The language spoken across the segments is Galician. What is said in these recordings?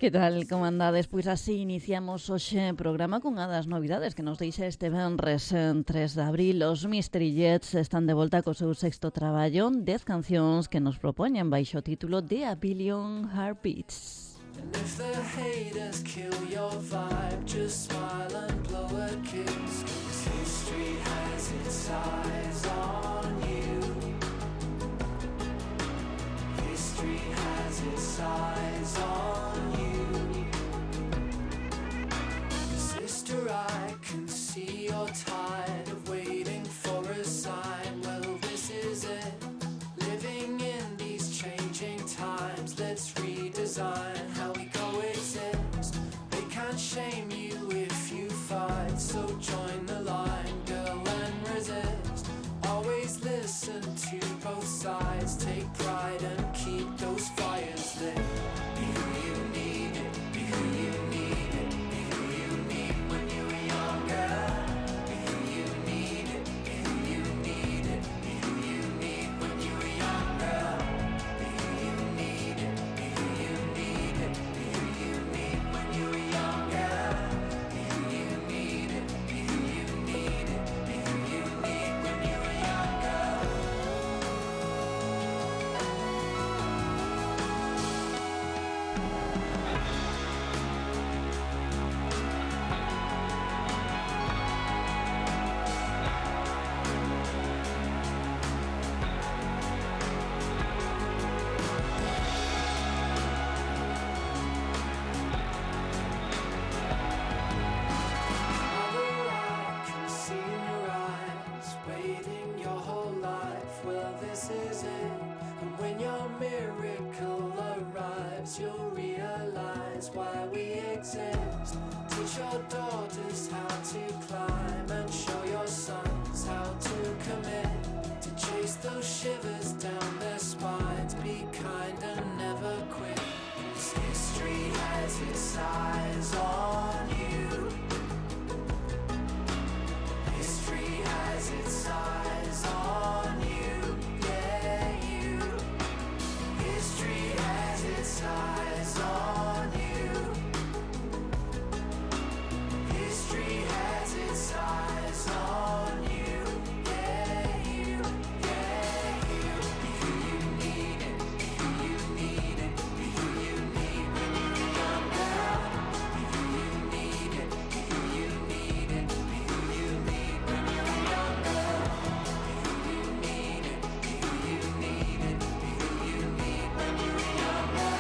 Que tal, como andades? Pois así iniciamos hoxe programa cunha das novidades que nos deixa este venres 3 de abril. Os Mystery Jets están de volta co seu sexto traballo, 10 cancións que nos propoñen baixo o título de A Billion Heartbeats. And if the haters kill your vibe, just smile and blow a kiss, 'cause history has its eyes on you. History has its eyes on you. 'Cause sister, I can see you're tired of waiting for a sign. Well, this is it. Living in these changing times, let's redesign how we coexist. They can't shame you if you fight, so join the line, girl, and resist. Always listen to both sides, take pride and keep those fires lit. Be who you need it, be who you need it, be who you need when you were younger. Be who you need it, be who you need it, be who you need when you were younger. Be who you need it, be who you need it, be who you need when you were younger. Be who you need it, be who you need it, be who you need when you were younger. Mother, I can see in your eyes, waiting your whole life. Well, this is it. And when your miracle arrives, you'll realize why we exist. Teach your daughters how to climb and show your sons how to commit. To chase those shivers down their spines, be kind and never quit. 'Cause history has its eyes on you. History has its eyes on you, yeah, you. History has its eyes on you. History has its eyes on you, yeah, you, yeah, you. Be who you need it, be who you need it, be who you need when you're younger. Be who you need it, be who you need it, be who you need when you're younger. Be who you need it, be who you need it, be who you need when you're younger.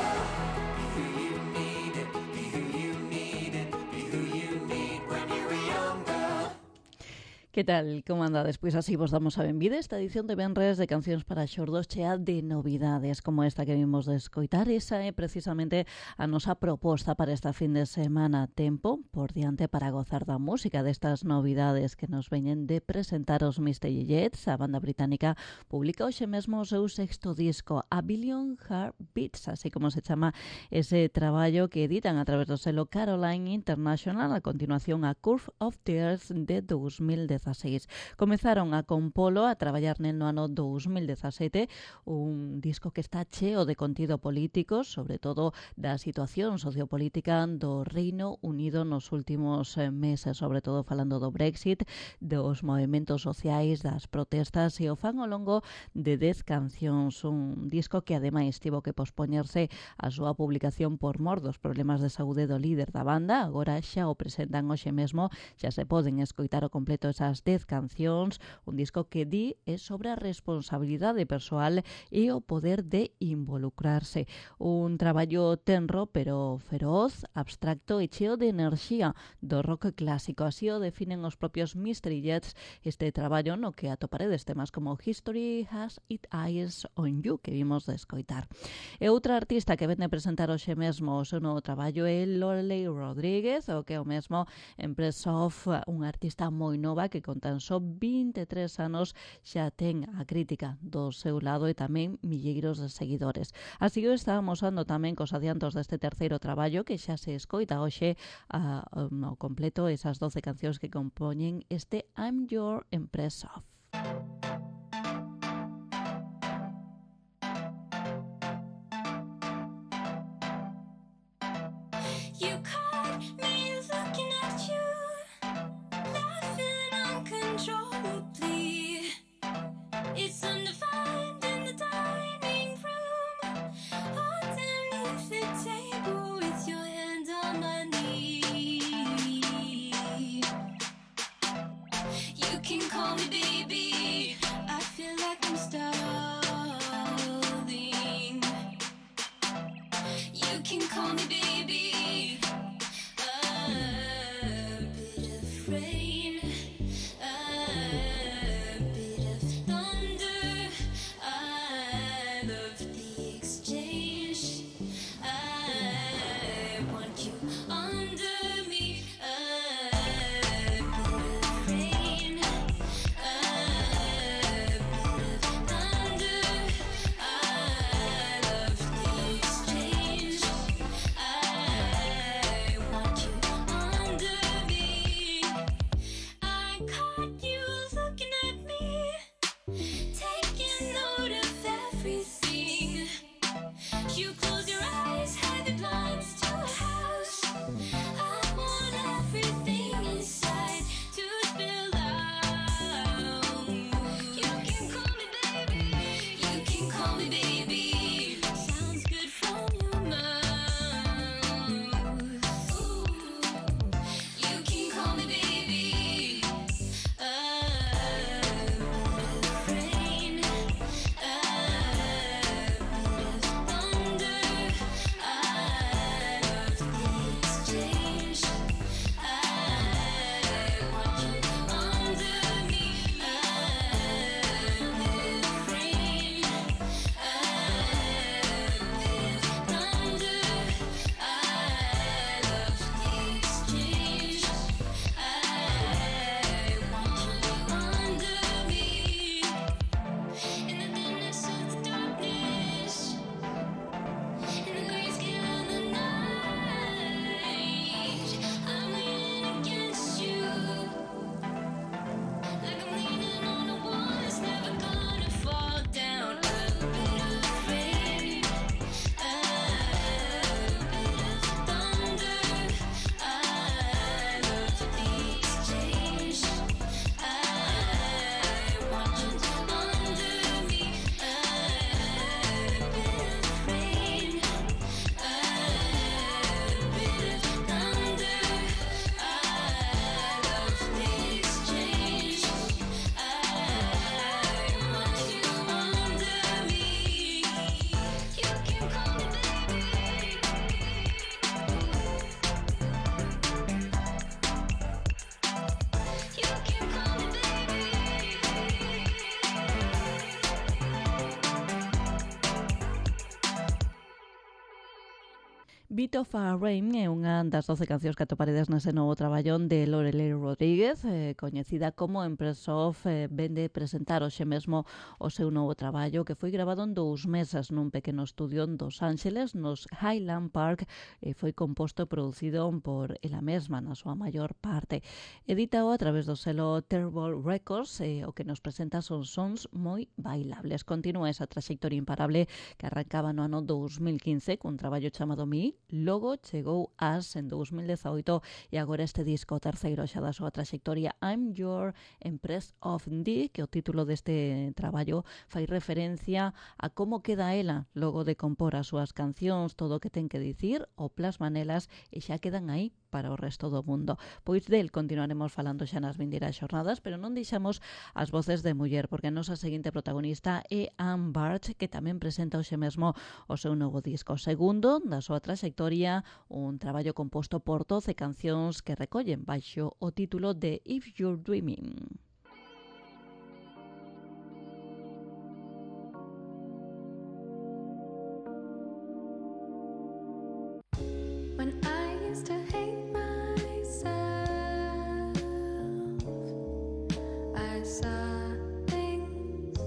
Be who you need it, be who you need it, be who you need when you're younger. Que tal, como andades? Pois así vos damos a benvida esta edición de venres de Cancións para Xordos chea de novidades como esta que vimos de escoitar. Esa é precisamente a nosa proposta para esta fin de semana. Tempo por diante para gozar da música destas novidades que nos veñen de presentar os Mystery Jets. A banda británica publica hoxe mesmo o seu sexto disco, A Billion Heartbeats, así como se chama ese traballo que editan a través do selo Caroline International. A continuación, A Curve of Tears de 2016. Comezaron a compolo, a traballar nel no ano 2017, un disco que está cheo de contido político, sobre todo da situación sociopolítica do Reino Unido nos últimos meses, sobre todo falando do Brexit, dos movimentos sociais, das protestas, e o fan ao longo de 10 cancións, un disco que ademais tivo que pospoñerse a súa publicación por mor dos problemas de saúde do líder da banda. Agora xa o presentan hoxe mesmo, xa se poden escoitar o completo esas 10 cancións, un disco que di é sobre a responsabilidade persoal e o poder de involucrarse. Un traballo tenro pero feroz, abstracto e cheo de enerxía do rock clásico. Así o definen os propios Mystery Jets este traballo no que atoparedes temas como History Has Its Eyes on You, que vimos de escoitar. E outra artista que vende presentar hoxe mesmo o seu novo traballo é Lorelei Rodríguez, o que é o mesmo Empress of, unha artista moi nova que con tan só 23 anos xa ten a crítica do seu lado e tamén milleiros de seguidores. Así o está amosando tamén cos adiantos deste terceiro traballo que xa se escoita hoxe ao completo esas 12 cancións que compoñen este I'm Your Empress of. call me baby. I feel like I'm stalling. You can call me baby. A bit of rain, a bit of thunder. I love the exchange. I want you under me. A bit of rain, a bit of thunder. I love the exchange. I want you under me. I caught you looking at me, taking note of everything. You close your eyes, hide the blinds to a house. I want everything inside to spill out. You can call me baby. You can call me baby. Sounds good from your mouth. Ooh. You can call me baby. A bit of rain, a bit of thunder. I love the exchange. I want you under me. A bit of rain, a bit of thunder. I love the exchange. I want you under me. In the dimness of the darkness, in the grayscale of the night, I'm leaning against you, like I'm leaning on a wall that's never gonna fall down. A bit of rain, a bit of thunder. I love the exchange. I want you under me. A bit of rain, a bit of thunder. I love the exchange. I want you under me. You can call me baby. You can call me baby. Bit of a Rain é unha das 12 cancións que atoparedes nese novo traballón de Lorelei Rodríguez, coñecida como Empress of. Vende presentar hoxe mesmo o seu novo traballo, que foi grabado en 2 meses nun pequeno estudio en Los Ángeles, nos Highland Park, e foi composto e producido por ela mesma na súa maior parte. Editado a través do selo Terrible Records, o que nos presenta son sons moi bailables. Continúa esa traxectoria imparable que arrancaba no ano 2015 cun traballo chamado Me. Logo chegou As en 2018 e agora este disco terceiro xa da súa traxectoria, I'm Your Empress of D, que o título deste traballo fai referencia a como queda ela logo de compor as súas cancións, todo o que ten que dicir, o plasma nelas e xa quedan aí para o resto do mundo. Pois del continuaremos falando xa nas vindeiras xornadas, pero non deixamos as voces de muller, porque a nosa seguinte protagonista é Anne Bartsch, que tamén presenta hoxe mesmo o seu novo disco, segundo da súa traxectoria, un traballo composto por 12 cancións que recollen baixo o título de If You're Dreaming. When I used to hate myself, I saw things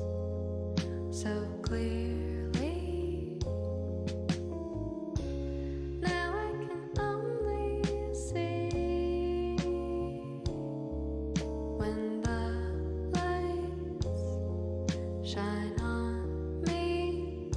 so clearly. Now I can only see when the lights shine on me.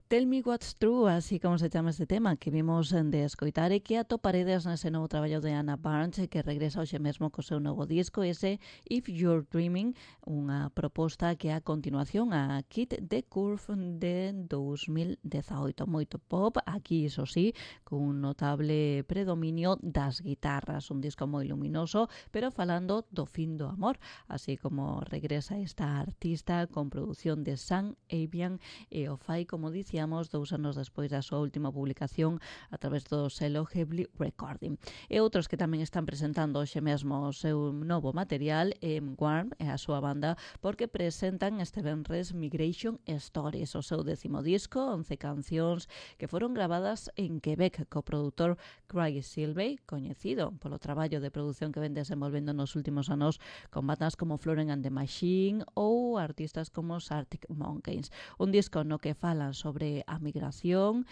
Tell Me What's True, así como se chama este tema que vimos de escoitar e que atoparedes nese novo traballo de Anna Barnes que regresa hoxe mesmo co seu novo disco, ese If You're Dreaming, unha proposta que é a continuación a Kid the Curve de 2018. Moito pop, aquí iso sí, con un notable predominio das guitarras, un disco moi luminoso, pero falando do fin do amor, así como regresa esta artista con produción de Sam Avian e o fai, como dicíamos, 2 anos despois da súa última publicación a través do selo Heavily Recording. E outros que tamén están presentando hoxe mesmo o seu novo material Warm e a súa banda, porque presentan este venres Migration Stories, o seu 10º disco, 11 cancións que foron gravadas en Quebec co produtor Craig Silvey, coñecido polo traballo de produción que ven desenvolvendo nos últimos anos con bandas como Florence and the Machine ou artistas como Arctic Monkeys. Un disco no que falan sobre a migración,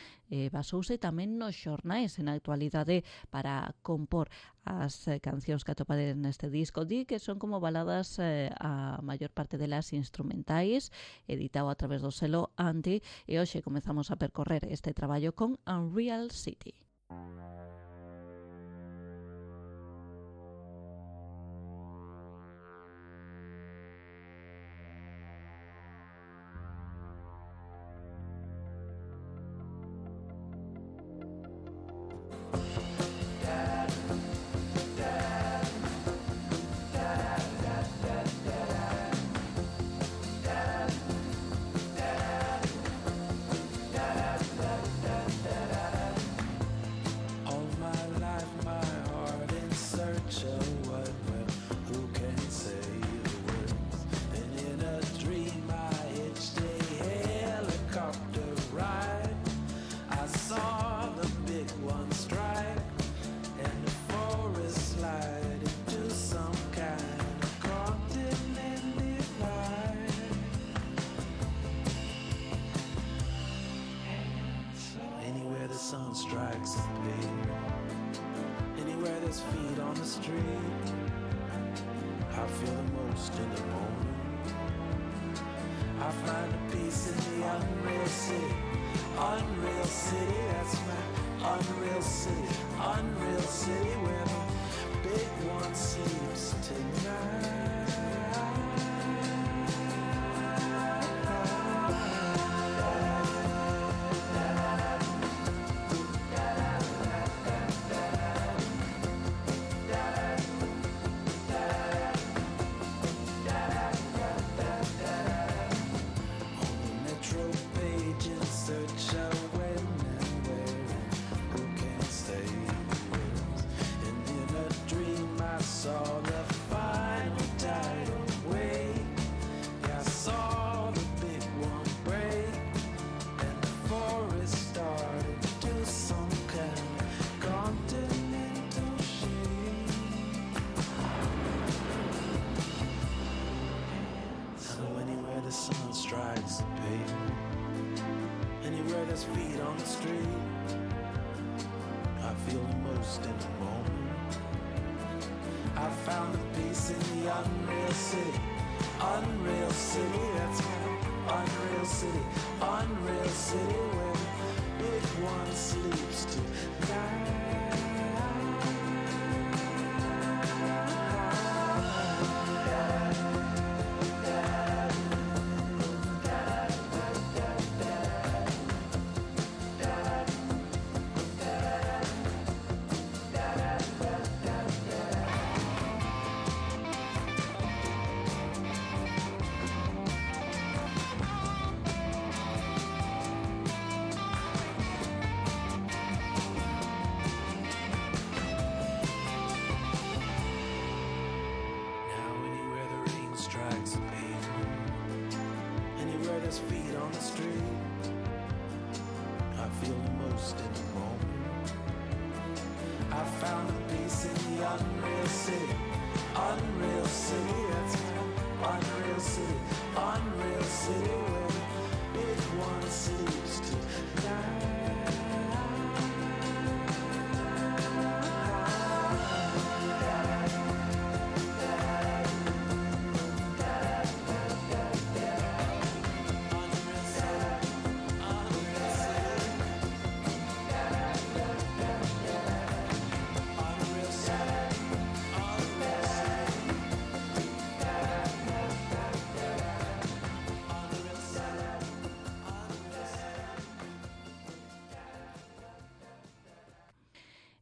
basouse tamén nos xornais en a actualidade para compor as cancións que atopades neste disco. Di que son como baladas a maior parte delas instrumentais, editado a través do selo Anti, e hoxe comezamos a percorrer este traballo con Unreal City.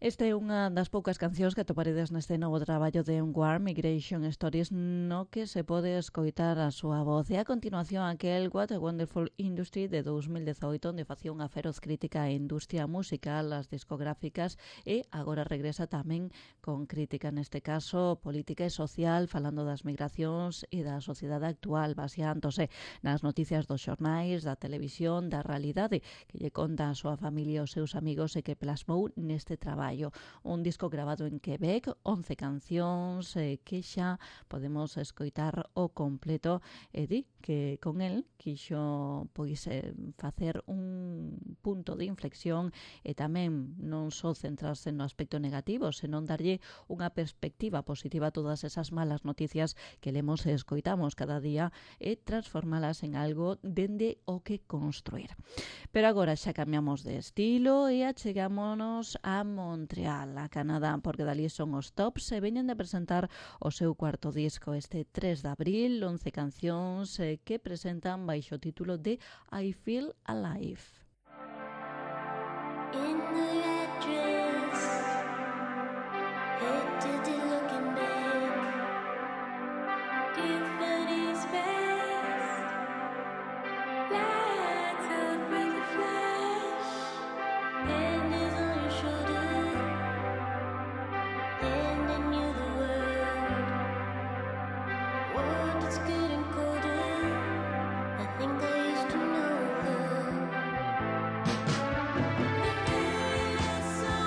Este é unha das poucas cancións que atoparedes neste novo traballo de War Migration Stories no que se pode escoitar a súa voz. E a continuación aquel What a Wonderful Industry de 2018 onde facía unha feroz crítica á industria musical, as discográficas e agora regresa tamén con crítica, neste caso política e social, falando das migracións e da sociedade actual, baseándose nas noticias dos xornais, da televisión, da realidade que lle conta a súa familia e os seus amigos e que plasmou neste traballo. Un disco grabado en Quebec, 11 cancións que xa podemos escoitar o completo e di que con el quixo facer un punto de inflexión e tamén non só centrarse no aspecto negativo, senón darlle unha perspectiva positiva a todas esas malas noticias que lemos e escoitamos cada día e transformalas en algo dende o que construir. Pero agora xa cambiamos de estilo e achegámonos a Montreal, a Canadá, porque dali son os Tops e veñen de presentar o seu cuarto disco este 3 de abril, 11 cancións que presentan baixo o título de I Feel Alive. In the red dress, head to the looking back, Tiffany's best, lights up with a flash, hand is on your shoulder, handing you the world that's getting colder, I think I used to know her. The day I saw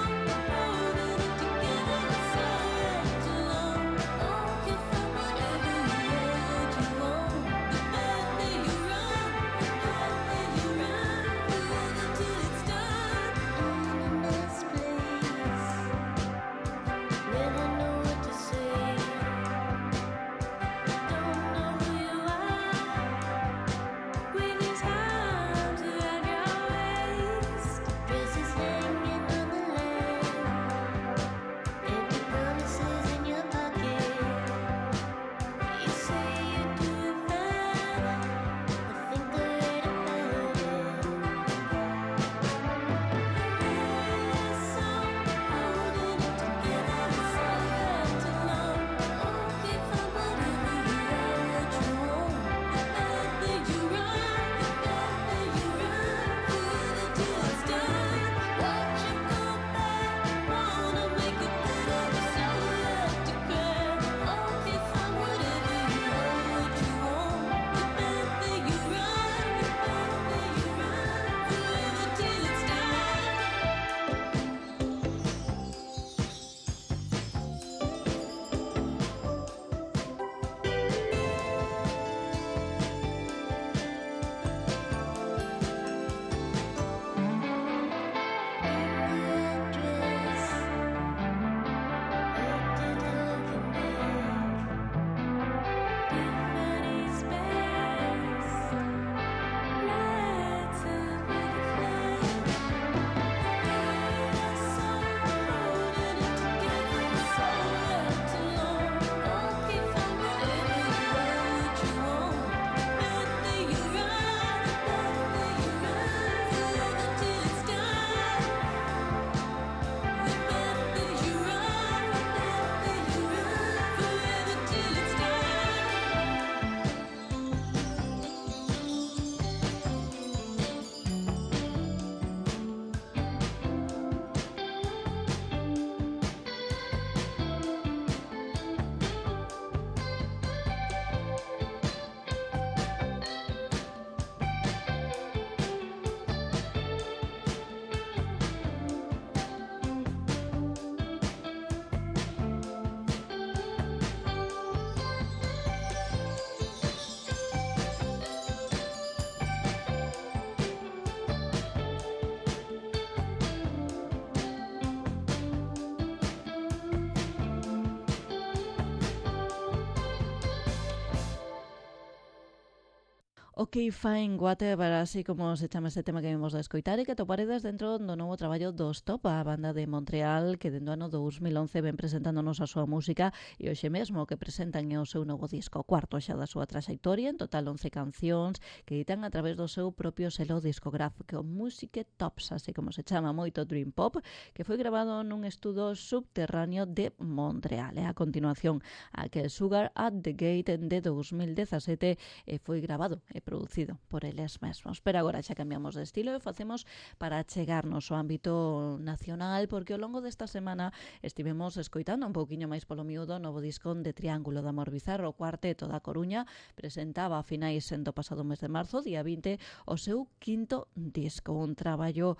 Ok, fine, whatever, así como se chama este tema que vimos de escoitar e que toparedes dentro do novo traballo dos Top, a banda de Montreal que dentro do ano 2011 ven presentándonos a súa música e hoxe mesmo que presentan o seu novo disco, cuarto xa da súa traxectoria, en total 11 cancións que editan a través do seu propio selo discográfico Musique Tops, así como se chama, moito dream pop, que foi grabado nun estudo subterráneo de Montreal. E a continuación, aquel Sugar at the Gate de 2017 foi grabado e producido por eles mesmos. Pero agora xa cambiamos de estilo e facemos para chegarnos ao ámbito nacional, porque ao longo desta semana estivemos escoitando un pouquiño máis polo miúdo o novo disco de Triángulo de Amor Bizarro. O Cuarteto da Coruña presentaba a finais do pasado mes de marzo, día 20, o seu quinto disco, un traballo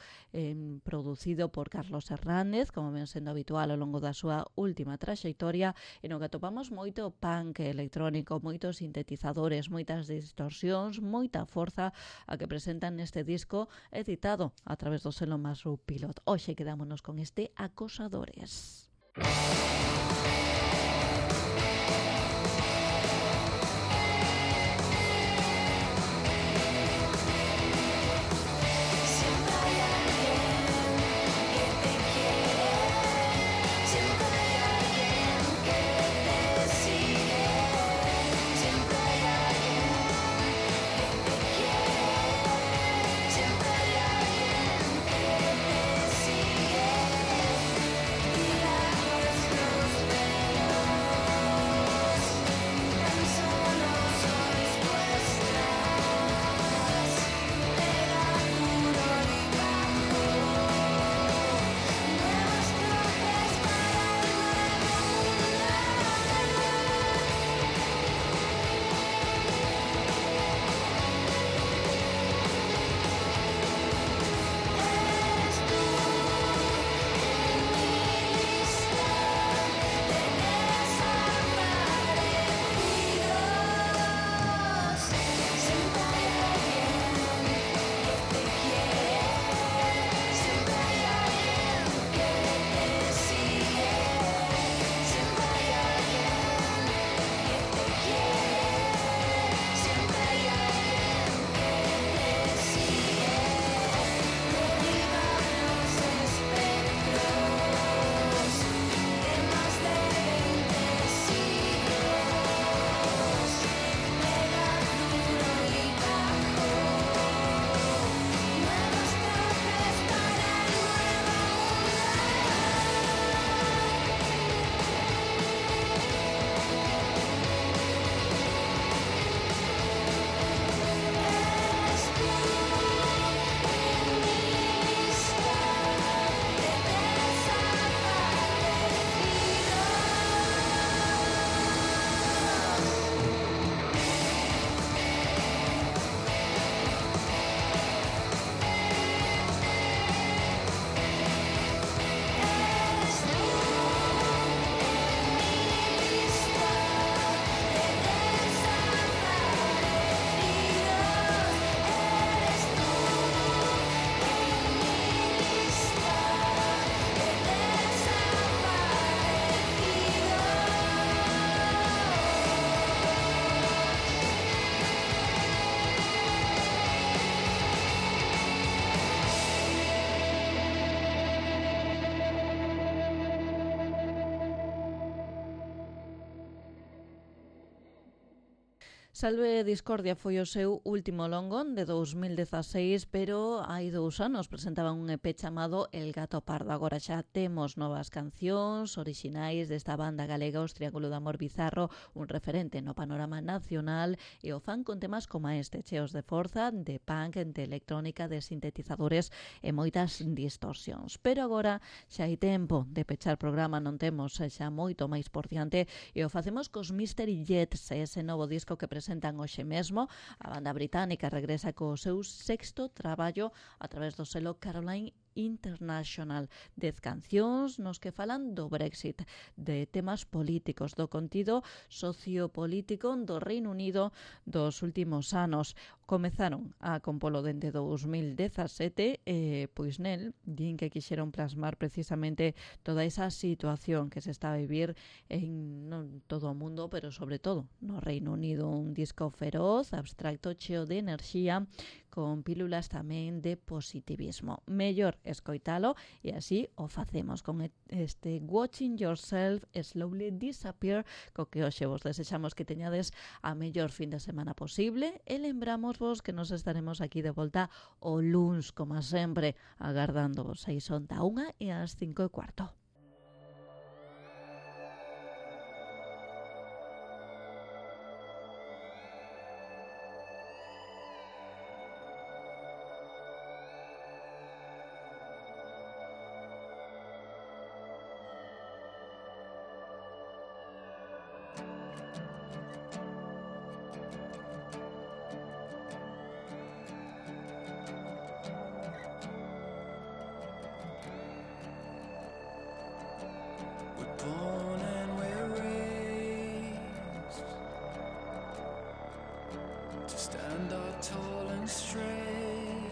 producido por Carlos Hernández, como ven sendo habitual ao longo da súa última traxectoria, e no que atopamos moito punk electrónico, moitos sintetizadores, moitas distorsións, moita forza a que presentan neste disco editado a través do selo Mushroom Pilot. Hoxe quedámonos con este Acosadores. Salve Discordia foi o seu último longo de 2016, pero hai 2 anos presentaban un EP chamado El Gato Pardo. Agora xa temos novas cancións orixinais desta banda galega, os Triángulo de Amor Bizarro, un referente no panorama nacional, e o fan con temas como este, cheos de forza, de punk, de electrónica, de sintetizadores e moitas distorsións. Pero agora xa hai tempo de pechar programa, non temos xa moito máis por diante, e o facemos cos Mystery Jets, ese novo disco que presentan hoxe mesmo. A banda británica regresa co seu sexto traballo a través do selo Caroline International, 10 cancións nos que falan do Brexit, de temas políticos, do contido sociopolítico do Reino Unido dos últimos anos. Comezaron a compolo dende 2017 pois nel din que quixeron plasmar precisamente toda esa situación que se está a vivir en non todo o mundo, pero sobre todo no Reino Unido. Un disco feroz, abstracto, cheo de enerxía, con pílulas tamén de positivismo. Mellor escoitalo e así o facemos con este Watching Yourself Slowly Disappear, co que hoxe vos desexamos que teñades a mellor fin de semana posible e lembramos vos que nos estaremos aquí de volta o luns, como sempre, agardándovos. Aí son da 1 e ás 5:15. Born and we're raised to stand up tall and straight,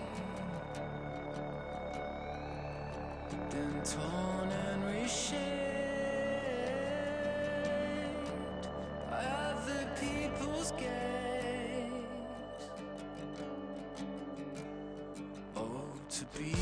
then torn and reshaped by other people's gaze. Oh, to be